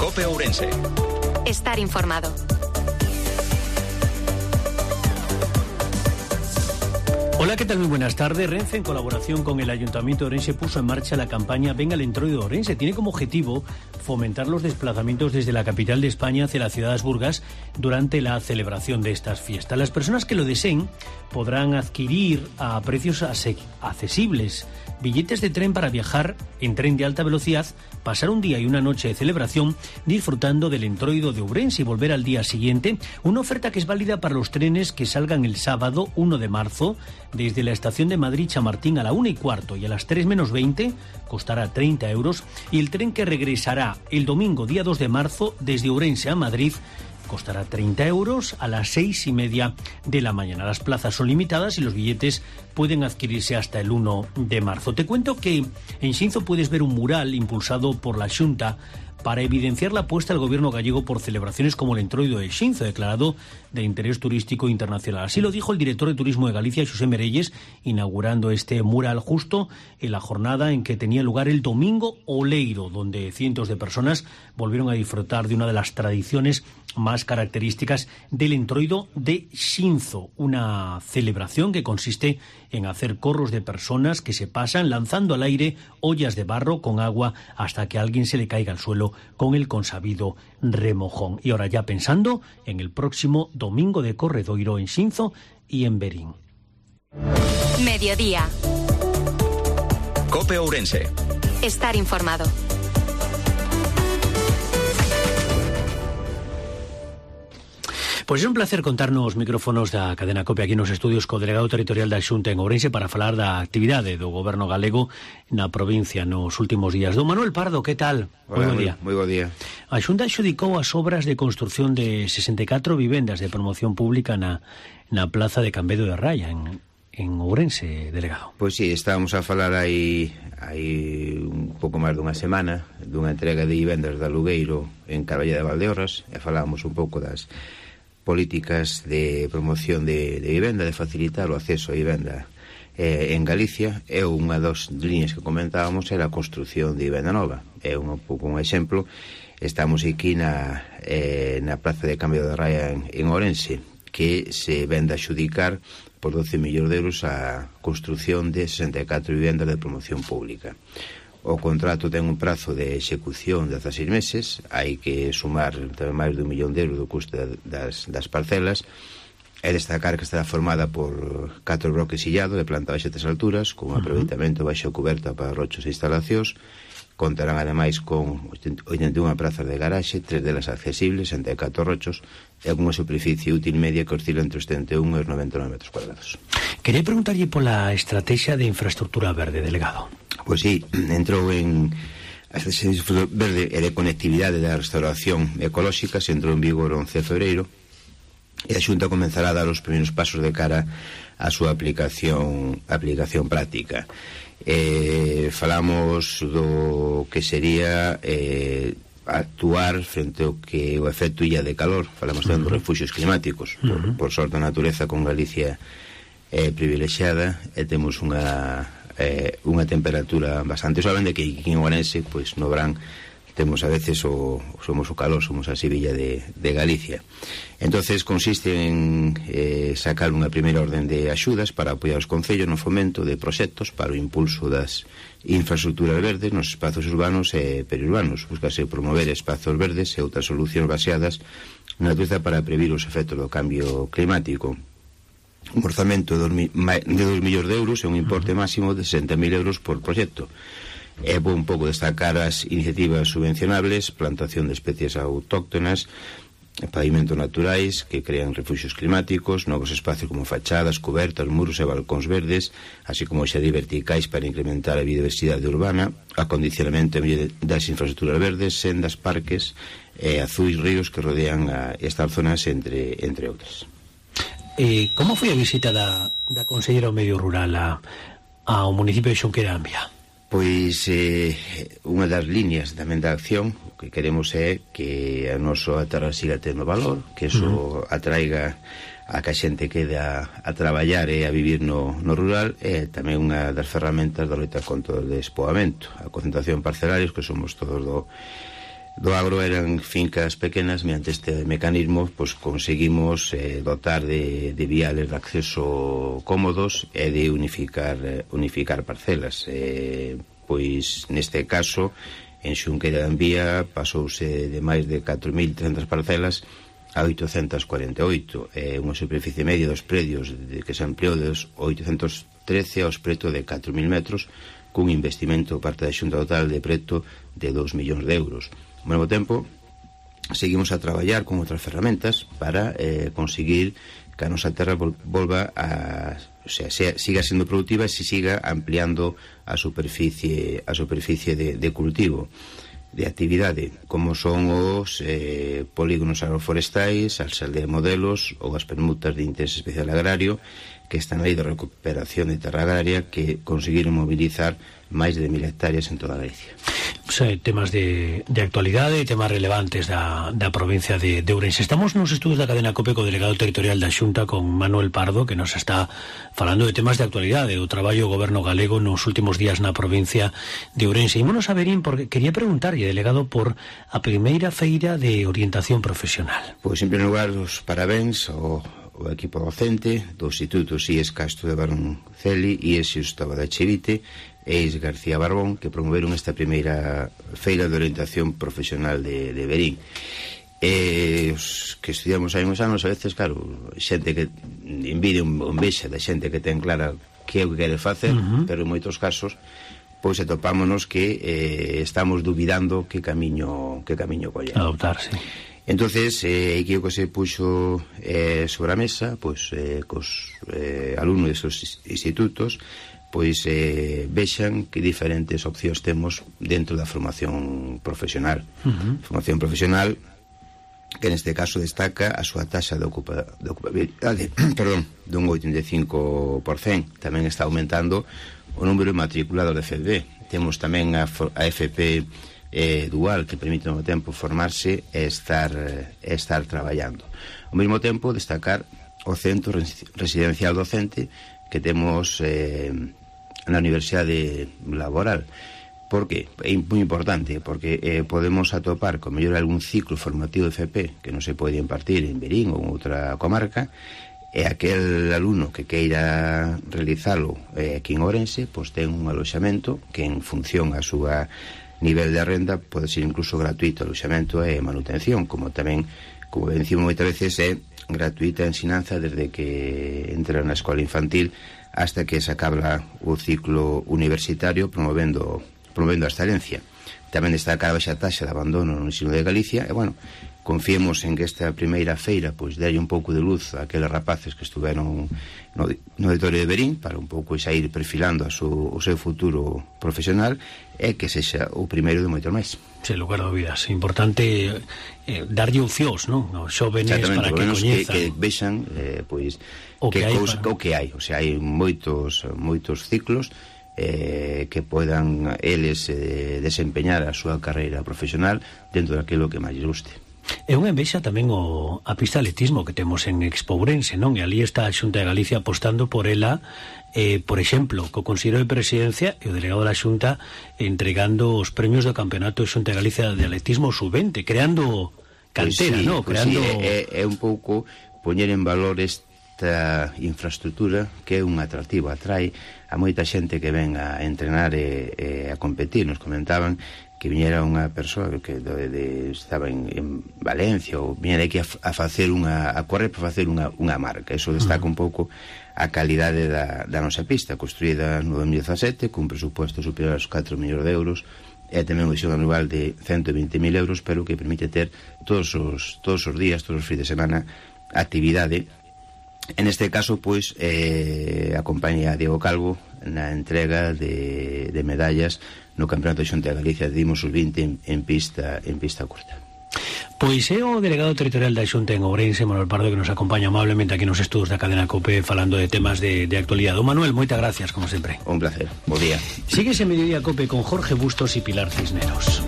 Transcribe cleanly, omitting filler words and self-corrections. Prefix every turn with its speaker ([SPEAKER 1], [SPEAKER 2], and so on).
[SPEAKER 1] COPE Ourense.
[SPEAKER 2] Estar informado.
[SPEAKER 3] Hola, ¿qué tal? Muy buenas tardes. Renfe, en colaboración con el Ayuntamiento de Ourense, puso en marcha la campaña Venga al Entroido de Ourense. Tiene como objetivo fomentar los desplazamientos desde la capital de España hacia la ciudad de Burgas durante la celebración de estas fiestas. Las personas que lo deseen podrán adquirir a precios accesibles billetes de tren para viajar en tren de alta velocidad, pasar un día y una noche de celebración disfrutando del Entroido de Ourense y volver al día siguiente. Una oferta que es válida para los trenes que salgan el sábado 1 de marzo desde la estación de Madrid-Chamartín a la 1:15 y a las 3 menos 20 costará 30 euros, y el tren que regresará el domingo día 2 de marzo desde Ourense a Madrid costará 30 euros a las 6:30 de la mañana. Las plazas son limitadas y los billetes pueden adquirirse hasta el 1 de marzo. Te cuento que en Xinzo puedes ver un mural impulsado por la Xunta para evidenciar la apuesta del gobierno gallego por celebraciones como el Entroido de Xinzo, declarado de interés turístico internacional. Así lo dijo el director de Turismo de Galicia, Xosé Merelles, inaugurando este mural justo en la jornada en que tenía lugar el Domingo Oleiro, donde cientos de personas volvieron a disfrutar de una de las tradiciones más características del Entroido de Xinzo, una celebración que consiste en hacer corros de personas que se pasan lanzando al aire ollas de barro con agua hasta que a alguien se le caiga al suelo con el consabido remojón. Y ahora ya pensando en el próximo Domingo de Corredoiro en Xinzo y en Berín.
[SPEAKER 2] Mediodía.
[SPEAKER 1] COPE Ourense.
[SPEAKER 2] Estar informado.
[SPEAKER 3] Pois é un placer contarnos micrófonos da cadena COPE aquí nos estudios co delegado territorial da Xunta en Ourense para falar da actividade do goberno galego na provincia nos últimos días. Don Manuel Pardo, que tal?
[SPEAKER 4] Hola, moi bo día.
[SPEAKER 3] A Xunta adxudicou as obras de construción de 64 vivendas de promoción pública na plaza de Cambedo de Raya en Ourense, delegado.
[SPEAKER 4] Pois sí, estábamos a falar aí un pouco máis dunha semana dunha entrega de vivendas de alugueiro en Carballa de Valdeorras e falábamos un pouco das políticas de promoción de vivenda, de facilitar o acceso a vivenda en Galicia. E unha das líneas que comentábamos era a construción de vivenda nova. É un pouco un exemplo. Estamos aquí na Praza de Cambio de Raya en Ourense, que se vende a xudicar por 12 millóns de euros a construción de 64 vivendas de promoción pública. O contrato ten un prazo de execución de 16 meses, hai que sumar máis de 1 millón de euros do custo das parcelas, e destacar que estará formada por 4 bloques sillados de planta baixa e 3 alturas, con un aproveitamento baixo coberta para rochos e instalacións. Contarán ademais con 81 prazas de garaxe, 3 delas accesibles, 64 rochos, e con unha superficie útil media que oscila entre os 71 e os 99 metros cuadrados.
[SPEAKER 3] Quería preguntarlle pola estrategia de infraestructura verde, delegado.
[SPEAKER 4] Pois sí, entrou en a estrategia verde e de conectividade da restauración ecolóxica, se entrou en vigor o 11 de febreiro, e a Xunta comenzará a dar os primeiros pasos de cara á súa aplicación práctica. Falamos do que sería actuar frente ao que o efecto illa de calor. Falamos tamén dos refuxios climáticos. Por sorte a natureza con Galicia é privilexiada e temos unha temperatura bastante suave, de que aquí en Ourense, pois no verán temos a veces somos o calor, somos a Sevilla de Galicia. Entonces consiste en sacar unha primeira orden de axudas para apoiar os concellos no fomento de proxectos para o impulso das infraestructuras verdes nos espazos urbanos e periurbanos. Buscase promover espazos verdes e outras solucións baseadas na natureza para previr os efectos do cambio climático. Un orzamento de 2 millóns de euros e un importe máximo de 60.000 euros por proxecto. É bo un pouco destacar as iniciativas subvencionables, plantación de especies autóctonas, pavimentos naturais que crean refuxios climáticos, novos espacios como fachadas, cubertas, muros e balcóns verdes, así como xadis verticais para incrementar a biodiversidade urbana, acondicionamento das infraestructuras verdes, sendas, parques e azuis ríos que rodean estas zonas, entre outras.
[SPEAKER 3] Como foi a visita da Conselleira do Medio Rural ao municipio de Xunquerambia?
[SPEAKER 4] Pois unha das líneas tamén da acción que queremos é que a nosa terra siga tendo valor, que eso atraiga a que a xente quede a traballar e a vivir no rural, e tamén unha das ferramentas da loita contra o despoboamento, a concentración parcelarios, que somos todos do agro eran fincas pequenas. Mediante este mecanismo pois conseguimos dotar de viales de acceso cómodos e de unificar parcelas. Pois neste caso en Xunqueira de Anvía pasouse de máis de 4.300 parcelas a 848, unha superficie media dos predios que se ampliou dos 813 aos preto de 4.000 metros, cun investimento parte da Xunta total de preto de 2 millóns de euros. Ao mesmo tempo, seguimos a traballar con outras ferramentas para conseguir que a nosa terra volva a... O sea, siga sendo productiva e se siga ampliando a superficie de cultivo, de actividade, como son os polígonos agroforestais, as aldeas modelos ou as permutas de interés especial agrario, que están aí de recuperación de terra agraria, que conseguiron mobilizar máis de 1.000 hectáreas en toda Galicia.
[SPEAKER 3] Temas de actualidade e temas relevantes da provincia de Ourense. Estamos nos estudos da cadena COPE co delegado territorial da Xunta, con Manuel Pardo, que nos está falando de temas de actualidade, do traballo do goberno galego nos últimos días na provincia de Ourense. Ímonos a verín, porque quería preguntarlle, delegado, por a primeira feira de orientación profesional.
[SPEAKER 4] Pois, en primeiro lugar, os parabéns ao equipo docente do Instituto IES Castro de Baronceli e IES Xustavo da Chevite e IES García Barbón, que promoveron esta primeira feira de orientación profesional de Verín. Os que estudiamos hai uns anos, a veces, claro, xente que envidia un vexa da xente que ten clara que é o que quere facer, pero en moitos casos pois atopámonos que estamos dubidando que camiño coller.
[SPEAKER 3] Adoptarse.
[SPEAKER 4] Entonces, aquí o que se puxo sobre a mesa, pois, cos alumnos desos institutos, pois vexan que diferentes opcións temos dentro da formación profesional. Formación profesional que neste caso destaca a súa taxa de ocupabilidade dun 85%. Tamén está aumentando o número de matriculados de FP. Temos tamén a FP dual, que permite ao mesmo tempo formarse e estar traballando. Ao mesmo tempo destacar o centro residencial docente que temos na Universidade Laboral. Por que? É moi importante, porque podemos atopar con mellor algún ciclo formativo de FP que non se pode impartir en Verín ou en outra comarca, e aquel alumno que queira realizalo aquí en Ourense, pois ten un aloxamento que en función a súa nivel de renda pode ser incluso gratuito aloxamento e manutención, como tamén, como decimos moitas veces, é gratuita a ensinanza desde que entra na escola infantil hasta que se acaba o ciclo universitario, promovendo a excelencia. Tamén destaca a baixa taxa de abandono no ensino de Galicia e, bueno, confiemos en que esta primeira feira pois delle un pouco de luz a aqueles rapaces que estuveron no auditorio de Verín para un pouco xa ir perfilando o seu futuro profesional e que sexa o primeiro de moito máis.
[SPEAKER 3] Sen lugar a dúbidas, importante darlle opcións, non? Os xóvenes para que coñezan,
[SPEAKER 4] que vexan pois o que hai, o sea, hai moitos ciclos que podan eles desempeñar a súa carreira profesional dentro daquilo que máis lles guste.
[SPEAKER 3] É unha envexa tamén a pista de atletismo que temos en Expo Ourense, non? E ali está a Xunta de Galicia apostando por ela, por exemplo, co Consello de Presidencia e o delegado da Xunta entregando os premios do Campeonato de Xunta de Galicia de Atletismo Sub-20, creando cantera, non? Creando...
[SPEAKER 4] É un pouco poñer en valor esta infraestructura que é un atractivo, atrae a moita xente que ven a entrenar e a competir. Nos comentaban que viñera unha persoa que estaba en Valencia ou viñera aquí a facer a correr para facer unha marca. Eso destaca un pouco a calidade da nosa pista, construída no 2017 cun presupuesto superior aos 4 millóns de euros e tamén unha visión anual de 120.000 euros, pero que permite ter todos os días, todos os fins de semana actividade. En este caso, pois, acompaña a Diego Calvo na entrega de medallas no Campeonato de Xunta de Galicia de Dimos Sub-20 en pista curta.
[SPEAKER 3] Pois é o delegado territorial da Xunta en Ourense, Manuel Pardo, que nos acompaña amablemente aquí nos estudos da cadena COPE falando de temas de actualidade. Manuel, moitas gracias, como sempre.
[SPEAKER 4] Un placer, bo día.
[SPEAKER 3] Síguese Mediodía COPE con Jorge Bustos e Pilar Cisneros.